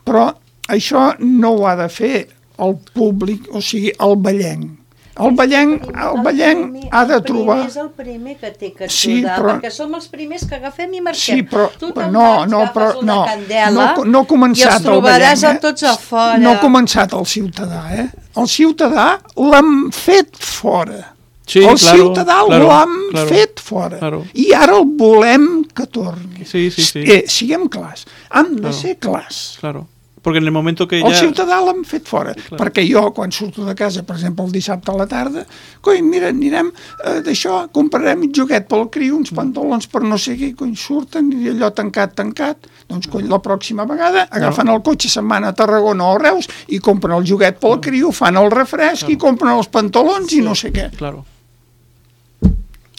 Però això no ho ha de fer el públic, o sigui, el ballenc. El ballenc, el ballenc ha de trobar... El primer és el primer que té que Sí, estudar, però- perquè som els primers que agafem i marquem. Sí, però Tu te'n no, vas, no, agafes però una no, candela no, no ha i començat els el trobaràs ballenc, a tots a fora. No ha començat el ciutadà, eh? El ciutadà l'hem fet fora. Sí, el claro, ciutadà claro, l'hem claro, fet fora. claro. I ara el volem que torni. Sí, sí, sí. Eh, siguem clars. Hem de Claro. ser clars. Claro. Porque en el momento que El ya... ciutadà l'hem fet fora, perquè jo, quan surto de casa, per exemple, el dissabte a la tarda, coi, mira, anirem eh, d'això, comprarem un joguet pel criu, uns pantalons per no sé què, coi, surten, i allò tancat, tancat, doncs, coi, la pròxima vegada agafen el cotxe, se'n van a Tarragona o a Reus, i compren el joguet pel criu, fan el refresc, i compren els pantalons i no sé què. Claro.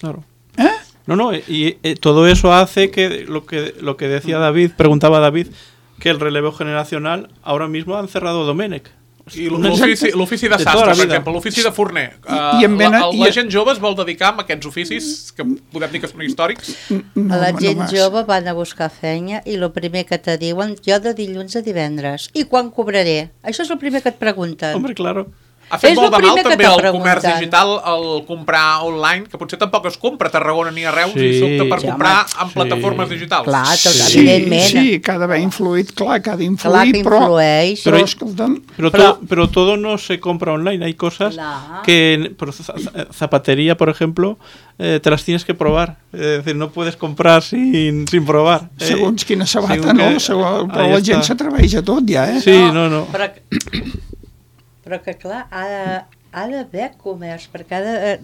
Claro. Eh? No, no, y eh, todo eso hace que lo que lo que decía David, preguntaba David, que el relevo generacional ahora mismo han cerrado Domenech. I l'ofici l'ofici de De tota sastre, la per vida. exemple, l'ofici de forner. I Uh, en venen- la, la i- gent jove es vol dedicar a aquests oficis, que podem dir que són històrics. No, la home, gent no vas. jove van a buscar feina i el primer que te diuen, jo de dilluns a divendres. I quan cobraré? Això és el primer que et pregunten. Hombre, claro. Ha fet És molt el de mal primer que també t'ha el comerç preguntat. digital, el comprar online, que potser tampoc es compra a Tarragona ni a Reus, Sí. i sobte per Sí, comprar home. en plataformes Sí. digitals. Clar, tot, Sí. evidentment. Sí, que ha d'haver influït, clar, que ha d'influir, Clar que però, influeix. però, Però- escolta'm, Pero, Pero- todo, pero todo no se compra online. Hay cosas Claro. que, por za- za- zapatería, por ejemplo, eh, te las tienes que probar. Es decir, no puedes comprar sin, sin probar. Eh, segons quina sabata, según no? que- Segons, però ahí la gent está. s'atreveix a tot, ja, eh? Sí, no, no. Però, que- però que clar, ha de- ha d'haver comerç, perquè ha de... eh,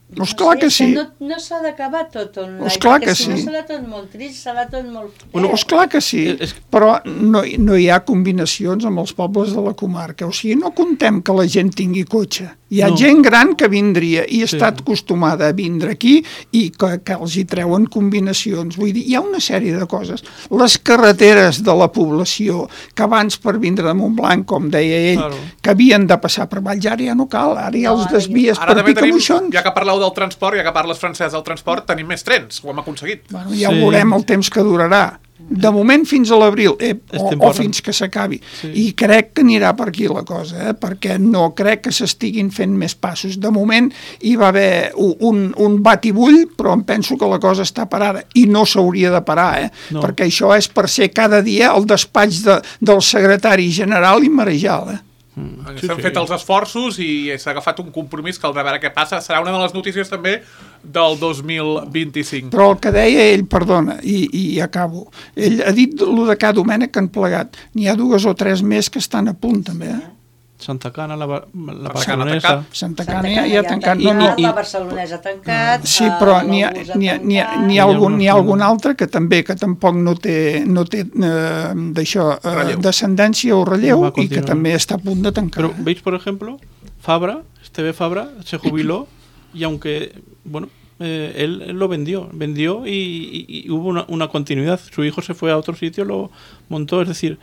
No, esclar sé, que és sí. No, no s'ha d'acabar tot online, Esclar perquè que si no sí. serà tot molt trist, serà tot molt fred. Bueno, és clar que sí, És- és- però no, no hi ha combinacions amb els pobles de la comarca. O sigui, no contem que la gent tingui cotxe. Hi ha No. gent gran que vindria i Sí. està acostumada a vindre aquí i que, que els hi treuen combinacions. Vull dir, hi ha una sèrie de coses. Les carreteres de la població, que abans per vindre de Montblanc, com deia ell, Claro. que havien de passar per Valls, ara ja no cal, ara ja No, els ara ja- desvies Ara per també tenim, Picamoixons. ja que parleu del transport, ja que parles francès del transport, tenim més trens, ho hem aconseguit. Bueno, ja Sí. ho veurem el temps que durarà. De moment fins a l'abril, eh, És o, o temporal. fins que s'acabi. Sí. I crec que anirà per aquí la cosa, eh, perquè no crec que s'estiguin fent més passos. De moment hi va haver un, un, un batibull, però em penso que la cosa està parada. I no s'hauria de parar, eh, No. perquè això és per ser cada dia el despatx de, del secretari general i marejal, eh? Mm, sí, S'han sí. fet els esforços i s'ha agafat un compromís que el de veure què passa. Serà una de les notícies també del dos mil vint-i-cinc. Però el que deia ell, perdona, i, i acabo, ell ha dit el de cada Domènec que han plegat. N'hi ha dues o tres més que estan a punt, també, eh? Santa Cana, la, ba- la Santa Cana Barcelonesa. tancat. Santa Santa Cana Cana ja ha tancat. No, no, tancat, i- la barcelonesa tancat, sí, eh, però n'hi ha, l'Agusa n'hi ha, n'hi ha, tancat. n'hi ha, N'hi ha algun, n'hi ha alguna- algun altre que també, que tampoc no té, no té eh, d'això, eh, Relleu. descendència o relleu, Va a i que continuar. també està a punt de tancar. Pero veis, por ejemplo, Fabra, Esteve Fabra, se jubiló y aunque, bueno, eh, él, él lo vendió, vendió y, y- y hubo una, una continuidad. Su hijo se fue a otro sitio, lo montó, es decir,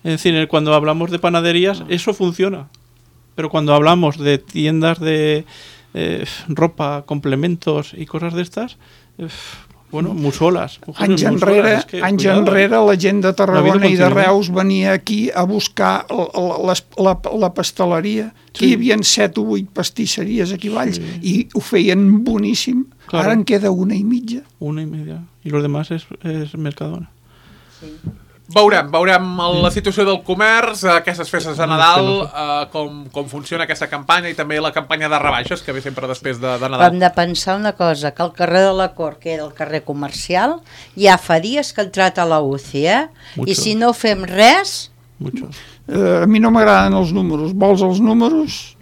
es decir, cuando hablamos de panaderías, eso funciona. Pero cuando hablamos de tiendas de eh, ropa, complementos y cosas de estas, eh, bueno, muy solas. Anys enrere, es que, anys cuidado, enrere la gent de Tarragona La vida i de continua. Reus venia aquí a buscar la, la, les- la, la pasteleria, que Sí. hi havia set o vuit pastisseries aquí a Valls, Sí. i ho feien boníssim. Claro. Ara en queda una i mitja. Una y media. Y los demás es, es Mercadona. Veurem, veurem el- la situació del comerç, aquestes festes de Nadal, eh, com, com funciona aquesta campanya i també la campanya de rebaixes que ve sempre després de, de Però hem Nadal. de pensar una cosa, que el carrer de la Cort, que era el carrer comercial, ja fa dies que ha entrat a la U C I, eh? Mucho. I si no fem res, Muchos. Eh, a mi no m'agraden els números. Vols els números?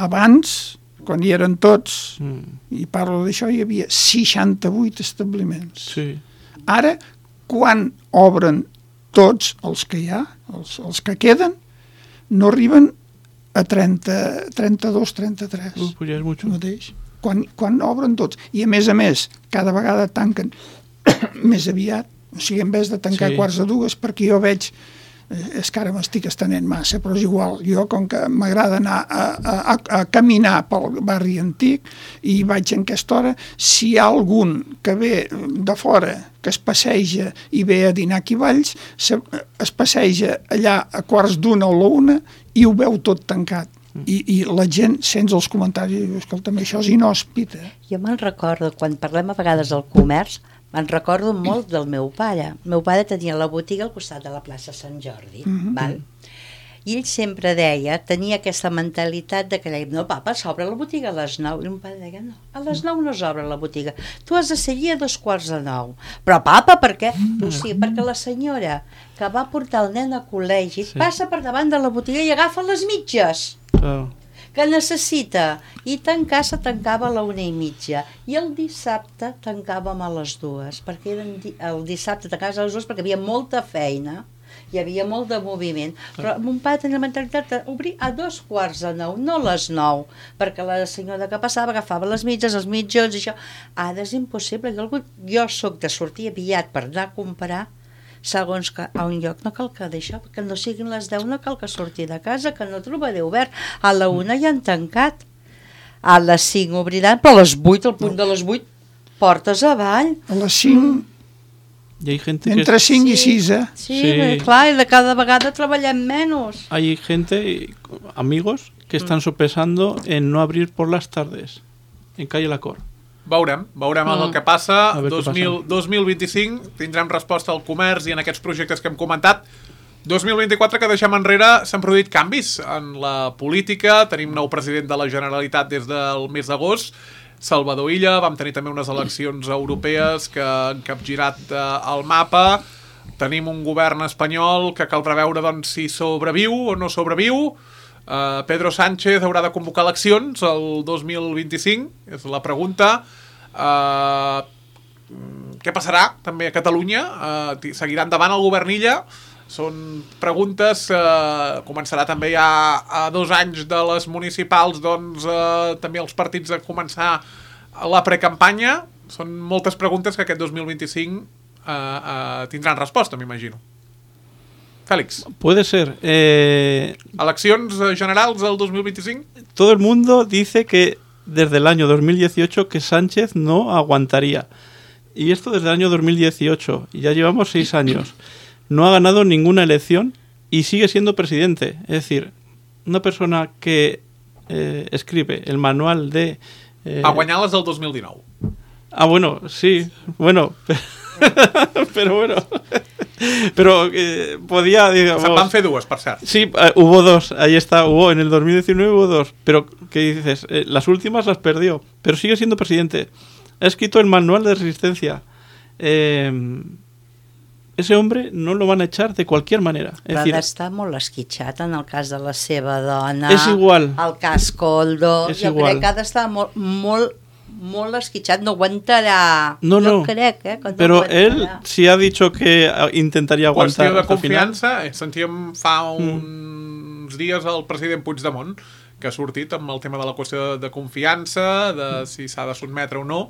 Abans, quan hi eren tots, Mm, i parlo d'això, hi havia seixanta-vuit establiments. sí. Ara, quan obren tots els que hi ha, els, els que queden, no arriben a trenta, trenta-dos, trenta-tres. Uh, pues ya es mucho. Mateix. Quan, quan obren tots. I a més a més, cada vegada tanquen més aviat. O sigui, en vez de tancar Sí. quarts de dues, perquè jo veig és que ara m'estic estenent massa, però és igual. Jo, com que m'agrada anar a, a, a caminar pel barri antic i vaig en aquesta hora, si hi ha algun que ve de fora, que es passeja i ve a dinar aquí Valls, es passeja allà a quarts d'una o la una i ho veu tot tancat. I, i la gent sents els comentaris i diu, escolta'm, això és inhòspit. Eh? Jo me'n recordo, quan parlem a vegades del comerç, me'n recordo molt del meu pare. El meu pare tenia la botiga al costat de la plaça Sant Jordi, mm-hmm. val? I ell sempre deia, tenia aquesta mentalitat de que deia, no, papa, s'obre la botiga a les nou. I el meu pare deia, no, a les nou no s'obre la botiga. Tu has de seguir a dos quarts de nou. Però, papa, per què? No, sí, perquè la senyora que va portar el nen a col·legi sí. passa per davant de la botiga i agafa les mitges. Oh. Que necessita, i tancar se tancava a la una i mitja, i el dissabte tancàvem a les dues, perquè eren di el dissabte tancaves a les dues perquè hi havia molta feina, hi havia molt de moviment, però mon pare tenia la mentalitat d'obrir a dos quarts de nou, no a les nou, perquè la senyora que passava agafava les mitges, els mitjons i això. Ara és impossible, jo, jo soc de sortir aviat per anar a comprar, segons que a un lloc no cal que d'això, que no siguin les deu, no cal que surti de casa, que no trobaré obert. A la una ja han tancat. A les cinc obriran, però a les vuit, al punt de les vuit, portes avall. A les cinc... Y hay gente entre que... cinc sí, i sis, eh? Sí, sí, clar, i de cada vegada treballem menos. Hay gente, amigos, que están sopesando en no abrir por las tardes, en calle La Cor. Veurem, veurem mm. el que passa. dos mil, dos mil vint-i-cinc tindrem resposta al comerç i en aquests projectes que hem comentat. dos mil vint-i-quatre, que deixem enrere, s'han produït canvis en la política. Tenim nou president de la Generalitat des del mes d'agost, Salvador Illa. Vam tenir també unes eleccions europees que han capgirat eh, el mapa. Tenim un govern espanyol que caldrà veure doncs, si sobreviu o no sobreviu. Uh, Pedro Sánchez haurà de convocar eleccions el dos mil vint-i-cinc, és la pregunta. Uh, què passarà també a Catalunya? Uh, seguirà endavant el govern Illa? Són preguntes. Uh, començarà també ja a dos anys de les municipals, doncs uh, també els partits a començar la precampanya. Són moltes preguntes que aquest dos mil vint-i-cinc uh, uh, tindran resposta, m'imagino. Félix. Puede ser. Eh... ¿Eleccions generals del dos mil veinticinco? Todo el mundo dice que desde el año dos mil dieciocho que Sánchez no aguantaría. Y esto desde el año dos mil dieciocho. Y ya llevamos seis años. No ha ganado ninguna elección y sigue siendo presidente. Es decir, una persona que eh, escribe el manual de... Eh... A guanyar les del dos mil dinou. Ah, bueno, sí. Bueno, pero bueno... Pero eh, podía, digamos... Se van fer dues, per cert. Sí, uh, hubo dos, ahí está, hubo, en el dos mil diecinueve hubo dos. Pero, ¿qué dices? Eh, las últimas las perdió, pero sigue siendo presidente. Ha escrito el manual de resistencia. Eh, ese hombre no lo van a echar de cualquier manera. Es Però decir, està molt esquitxat en el cas de la seva dona. És igual. El cas Coldo. És jo igual. crec que ha d'estar molt, molt molt esquitxat, no aguantarà. No, no. Jo crec, eh, que no Pero aguantarà. él sí ha dicho que intentaría aguantar. Qüestió de hasta el final. confiança. Sentíem fa uns mm. dies el president Puigdemont que ha sortit amb el tema de la qüestió de confiança, de si s'ha de sotmetre o no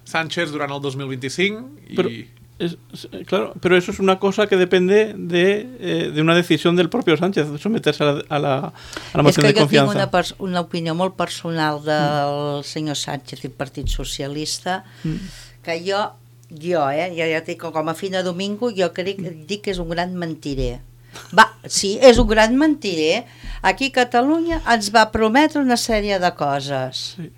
Sánchez durant el dos mil vint-i-cinc i... Pero, es, es, claro, pero eso es una cosa que depende de, eh, de una decisión del propio Sánchez, someterse a la, a la, a la moción de confianza. És que jo tinc una, una opinió molt personal del mm. senyor Sánchez i el Partit Socialista, mm. que jo, jo, eh, ja, ja dic, com a Fina Domingo, jo crec, dic que és un gran mentirer. Va, sí, és un gran mentirer. Aquí a Catalunya ens va prometre una sèrie de coses. Sí.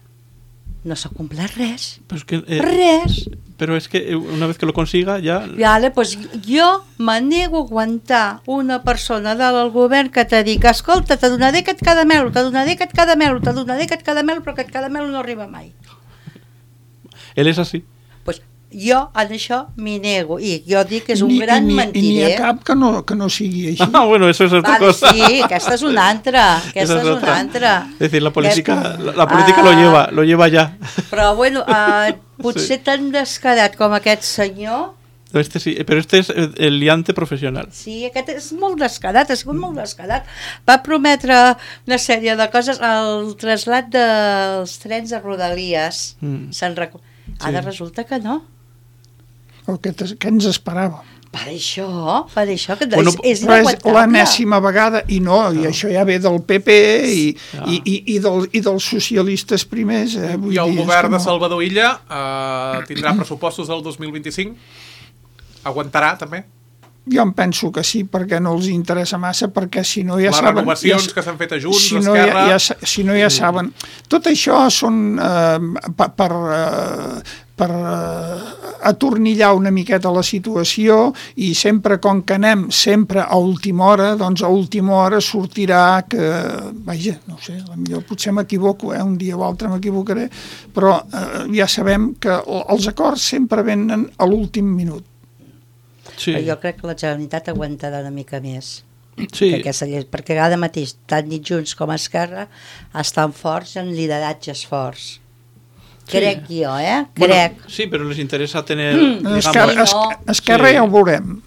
No s'ha complert res. Pero es que, eh, res. Pero es que una vez que lo consiga ya... Vale, pues jo me nego a aguantar una persona del govern que te dic, escolta, te donaré aquest caramel, te donaré aquest caramel, te donaré aquest caramel, però aquest caramel no arriba mai. Él es así. Pues jo en això m'hi nego i jo dic que és un ni, gran ni, mentirer. I n'hi ha cap que no, que no sigui així. Ah, bueno, eso es otra vale, cosa. Sí, aquesta és una altra. Aquesta Esa és, es una otra. altra. Es decir, la política, Aquesta... la, la política ah, lo lleva, lo lleva ya. Però bueno, uh, potser sí. tan descarat com aquest senyor. Este sí, pero este es el, el liante profesional. Sí, aquest és molt descarat, ha sigut molt descarat. Va prometre una sèrie de coses, el trasllat dels trens a Rodalies. Mm. Se'n recu... Ara sí. Resulta que no. El que, que ens esperàvem. Per això, per això, que Bueno, és, és Però és inaguantable. l'enèsima vegada, i no, i això ja ve del P P i, Ah. i, i, i, del, i dels socialistes primers. Eh? Vull I el dir, és govern que de Salvador Illa eh, tindrà pressupostos del dos mil vint-i-cinc? Aguantarà, també? Jo em penso que sí, perquè no els interessa massa, perquè si no ja Les saben... renovacions ja, que s'han fet a Junts, si no ja, Esquerra... ja, sa- si no ja saben... Tot això són eh, per, per, eh, per eh, atornillar una miqueta la situació, i sempre, com que anem sempre a última hora, doncs a última hora sortirà que... Vaja, no ho sé, potser potser m'equivoco, eh? Un dia o altre m'equivocaré, però eh, ja sabem que els acords sempre venen a l'últim minut. Sí, Però jo crec que la Generalitat aguantarà una mica més. sí. Que aquesta llei, perquè ara mateix, tant ni Junts com Esquerra, estan forts en lideratges forts. Crec jo, eh? Crec. Bueno, sí, pero les interesa tener, Mm. digamos, Esquerra, no. Esquerra, Esquerra Sí. ja ho veurem.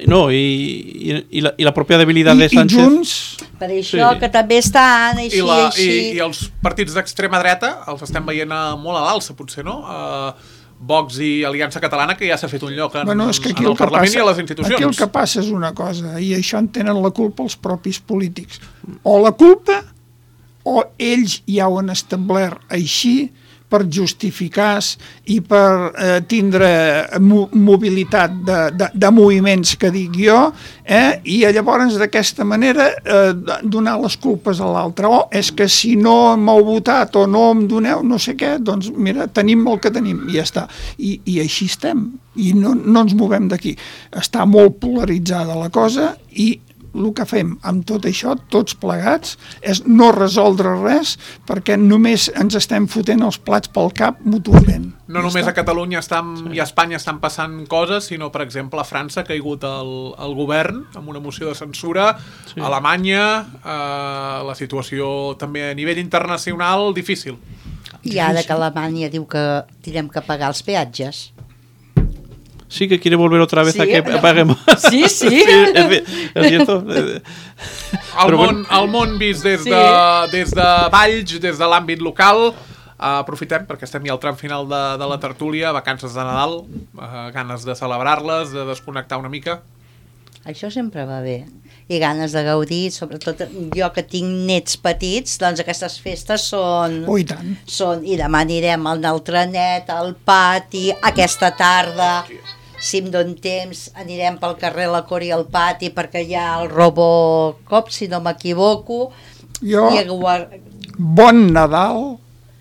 no, y, y, y la, y la propia debilidad I, de i Sánchez. Junts... Per això Sí. que també estan així, I, la, així... i, I els partits d'extrema dreta els estem veient a, molt a l'alça, potser, no? Uh, Vox i Aliança Catalana, que ja s'ha fet un lloc en, Bueno, és que aquí en el, el que Parlament passa, i a les institucions. aquí el que passa és una cosa, i això en tenen la culpa els propis polítics. O la culpa, o ells ja ho han establert així per justificar i per eh, tindre mo mobilitat de, de, de moviments, que dic jo, eh? I llavors d'aquesta manera eh, donar les culpes a l'altre. O és que si no m'heu votat o no em doneu no sé què, doncs mira, tenim el que tenim i ja està. I, i així estem, i no, no ens movem d'aquí. Està molt polaritzada la cosa, i el que fem amb tot això, tots plegats, és no resoldre res, perquè només ens estem fotent els plats pel cap mútuament. No només a Catalunya estan, i a Espanya estan passant coses, sinó, per exemple, a França ha caigut el, el govern amb una moció de censura, Sí. a Alemanya, eh, la situació també a nivell internacional difícil. I ara que Alemanya diu que tindrem que pagar els peatges. Sí, que quiere volver otra vez Sí, a que no. paguemos. Sí, sí. es, es cierto. El, Però món, bueno. el món vist des Sí. de, des de Valls, des de l'àmbit local. Uh, aprofitem, perquè estem ja al tram final de, de la tertúlia, vacances de Nadal, uh, ganes de celebrar-les, de desconnectar una mica. Això sempre va bé. I ganes de gaudir, sobretot jo que tinc nets petits, doncs aquestes festes són... Oh, i tant. són i demà anirem al trenet, al pati, aquesta tarda, si em don temps, anirem pel carrer La Cor i al pati, perquè hi ha el Robocop, si no m'equivoco. Jo, I guar- bon Nadal,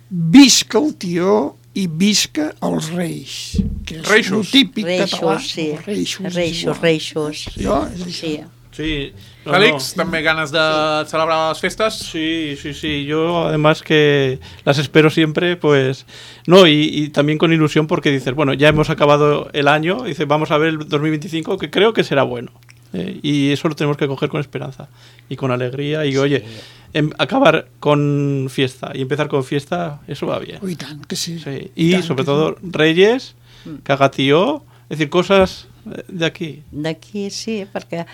visca el tió i visca els Reis, que és Reixos. el típic català. Reixos, sí. Reixos, és Reixos, igual. reixos. Jo, és això. Sí. Sí. no, Félix, no. també ganes de celebrar les festes? Sí, sí, sí. Yo además que las espero siempre, pues... No, y, y también con ilusión porque dices, bueno, ya hemos acabado el año, dices, vamos a ver el dos mil veinticinco, que creo que será bueno. Eh, y eso lo tenemos que coger con esperanza y con alegría. Y oye, em, acabar con fiesta y empezar con fiesta, eso va bien. Oh, i tant, que sí. Sí. Y tant sobre que todo Reyes, Cagatío, es decir, cosas de aquí. D'aquí sí, perquè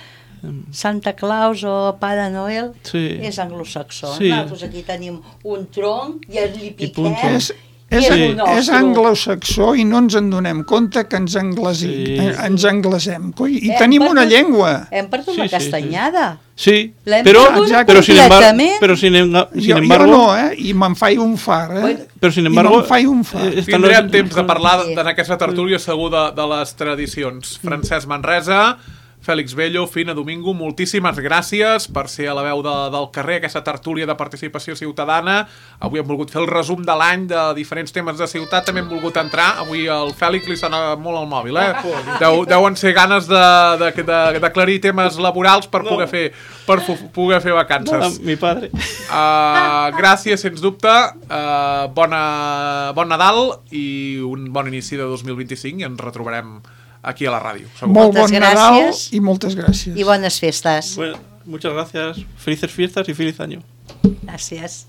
Santa Claus o Pare Noel Sí. és anglosaxó. Sí. Nosaltres aquí tenim un tronc i li punto. piquem. És, i és, és Sí. el nostre. és anglosaxó i no ens en donem compte que ens, anglesi, Sí. eh, ens anglesem. Coi, I Hem tenim una perdut- llengua. Hem perdut Sí, la sí, sí. castanyada. Sí, L'hem pero, perdut pero, sin embargo, completament. pero sin, enga- sin Jo, embargo... jo no, eh? I me'n faig un far, eh? Bueno, Pero sin I embargo, me'n faig un far. eh, están Tindrem los- temps de parlar Sí. en aquesta tertúlia segur de, de les tradicions. Francesc Manresa, Fèlix Bello, Fina Domingo, moltíssimes gràcies per ser a la veu de, del carrer, aquesta tertúlia de participació ciutadana. Avui hem volgut fer el resum de l'any de diferents temes de ciutat, també hem volgut entrar. Avui al Fèlix li sona molt el mòbil, eh? Deu, deuen ser ganes d'aclarir de, de, d'aclarir temes laborals per poder fer, per fu- poder fer Ah, vacances. mi padre. Uh, gràcies, sens dubte. Uh, bona, bon Nadal i un bon inici de dos mil vint-i-cinc i ens retrobarem aquí a la ràdio. Segur. Molt Moltes bon Nadal gràcies. i moltes gràcies. I bones festes. Bueno, muchas gracias. Felices fiestas y feliz año. Gràcies.